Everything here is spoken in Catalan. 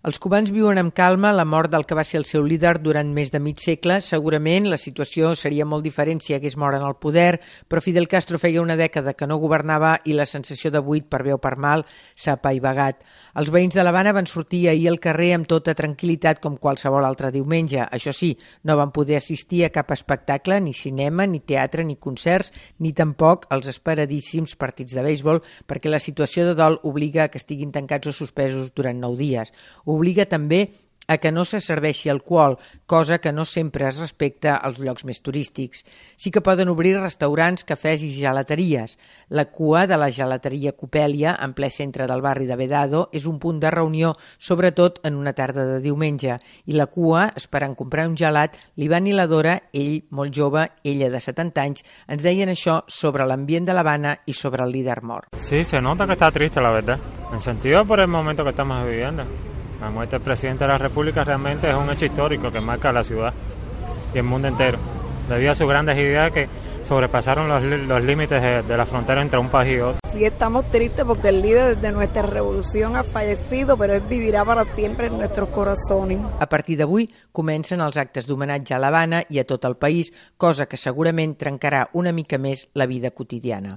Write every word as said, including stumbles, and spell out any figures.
Els cubans viuen amb calma la mort del que va ser el seu líder durant més de mig segle. Segurament la situació seria molt diferent si hagués mort en el poder, però Fidel Castro feia una dècada que no governava i la sensació de buit, per bé o per mal, s'ha apaivagat. Els veïns de l'Havana van sortir ahir al carrer amb tota tranquil·litat com qualsevol altre diumenge. Això sí, no van poder assistir a cap espectacle, ni cinema, ni teatre, ni concerts, ni tampoc als esperadíssims partits de béisbol, perquè la situació de dol obliga a que estiguin tancats o suspesos durant nou dies. Obliga també a que no se serveixi alcohol, cosa que no sempre es respecta als llocs més turístics. Sí que poden obrir restaurants, cafès i gelateries. La cua de la gelateria Copèlia, en ple centre del barri de Vedado, és un punt de reunió, sobretot en una tarda de diumenge. I la cua, esperant comprar un gelat, l'Ivan i la Dora, ell molt jove, ella de setanta anys, ens deien això sobre l'ambient de l'Havana i sobre el líder mort. Sí, se nota que está triste, la verdad. En sentido por el momento que estamos viviendo. La muerte del presidente de la República realmente es un hecho histórico que marca la ciudad y el mundo entero, debido a sus grandes ideas que sobrepasaron los, los límites de, de la frontera entre un país y otro. Y estamos tristes porque el líder de nuestra revolución ha fallecido, pero él vivirà para siempre en nuestros corazones. A partir d'avui comencen els actes d'homenatge a l'Havana i a tot el país, cosa que segurament trencarà una mica més la vida quotidiana.